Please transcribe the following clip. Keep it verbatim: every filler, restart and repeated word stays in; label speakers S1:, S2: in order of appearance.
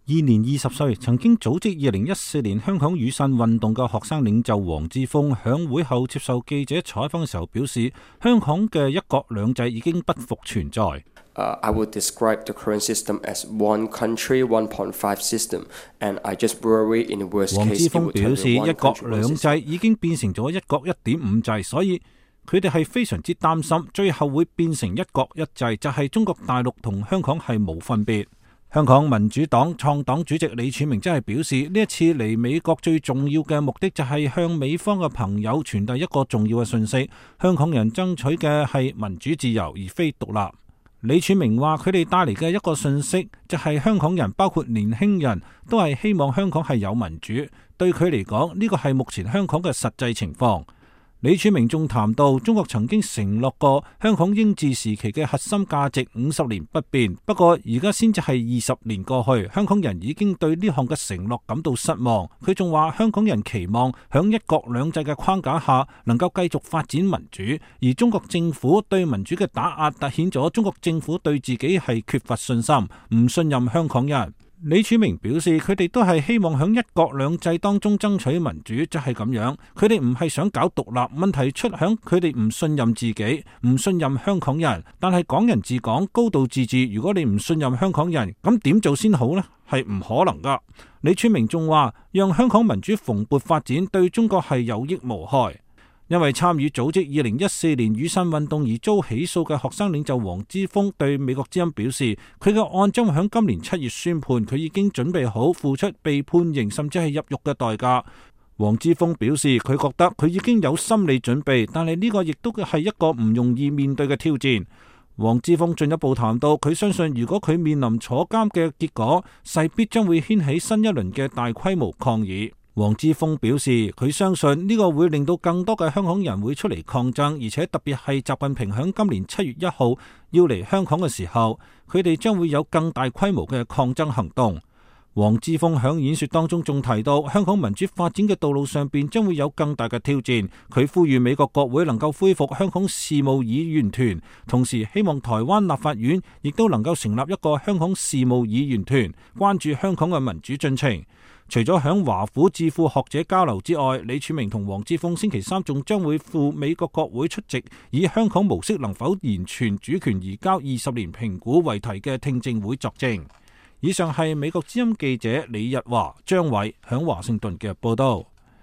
S1: 現年二十歲，曾經組織二零一四年香港雨傘運動嘅學生領袖黃之鋒響會後接受記者採訪嘅時候表示，香港嘅一國兩制已經不復存在。
S2: Uh, I would describe the current system as one country, one point five system, and I just worry in the worst case.
S1: 黃之鋒表示，一國兩制已經變成咗一國一點五制，所以佢哋係非常之擔心，最後會變成一國一制，就係中國大陸同香港係冇分別。香港民主黨創黨主席李柱銘真係表示，呢一次嚟美國最重要嘅目的就係向美方嘅朋友傳遞一個重要嘅信息：香港人爭取嘅係民主自由，而非獨立。李柱銘話，佢哋帶嚟嘅一個信息就係香港人，包括年輕人都係希望香港係有民主。對佢嚟講，呢個係目前香港嘅實際情況。李柱銘仲談到，中國曾經承諾過香港英治時期嘅核心價值五十年不變，不過而家先至係二十年過去，香港人已經對呢項嘅承諾感到失望。佢仲話，香港人期望響一國兩制嘅框架下能夠繼續發展民主，而中國政府對民主嘅打壓凸顯咗中國政府對自己係缺乏信心，唔信任香港人。李柱銘表示，佢哋都係希望響一國兩制當中爭取民主，就係咁樣。佢哋唔係想搞獨立，問題出響佢哋唔信任自己，唔信任香港人。但係港人治港、高度自治，如果你唔信任香港人，咁點做先好呢？係唔可能噶。李柱銘仲話，讓香港民主蓬勃發展對中國係有益無害。因為參與組織二零一四年雨傘運動而遭起訴嘅學生領袖黃之鋒對美國之音表示，佢嘅案將會喺今年七月宣判，佢已經準備好付出被判刑甚至係入獄嘅代價。黃之鋒表示，佢覺得佢已經有心理準備，但係呢個亦都係一個唔容易面對嘅挑戰。黃之鋒進一步談到，佢相信如果佢面臨坐監嘅結果，勢必將會掀起新一輪嘅大規模抗議。黃之鋒表示，佢相信呢個會令到更多嘅香港人會出嚟抗爭，而且特別係習近平響今年七月一號要嚟香港嘅時候，佢哋將會有更大規模嘅抗爭行動。黃之鋒響演說當中仲提到，香港民主發展嘅道路上邊將會有更大嘅挑戰。佢呼籲美國國會能夠恢復香港事務議員團，同時希望台灣立法院亦都能夠成立一個香港事務議員團，關注香港嘅民主進程。除咗響華府智庫學者交流之外，李柱銘同黃之鋒星期三仲將會赴美國國會出席以香港模式能否延傳主權移交二十年評估為題嘅聽證會作證。以上係美國之音記者李日華、張偉響華盛頓嘅報道。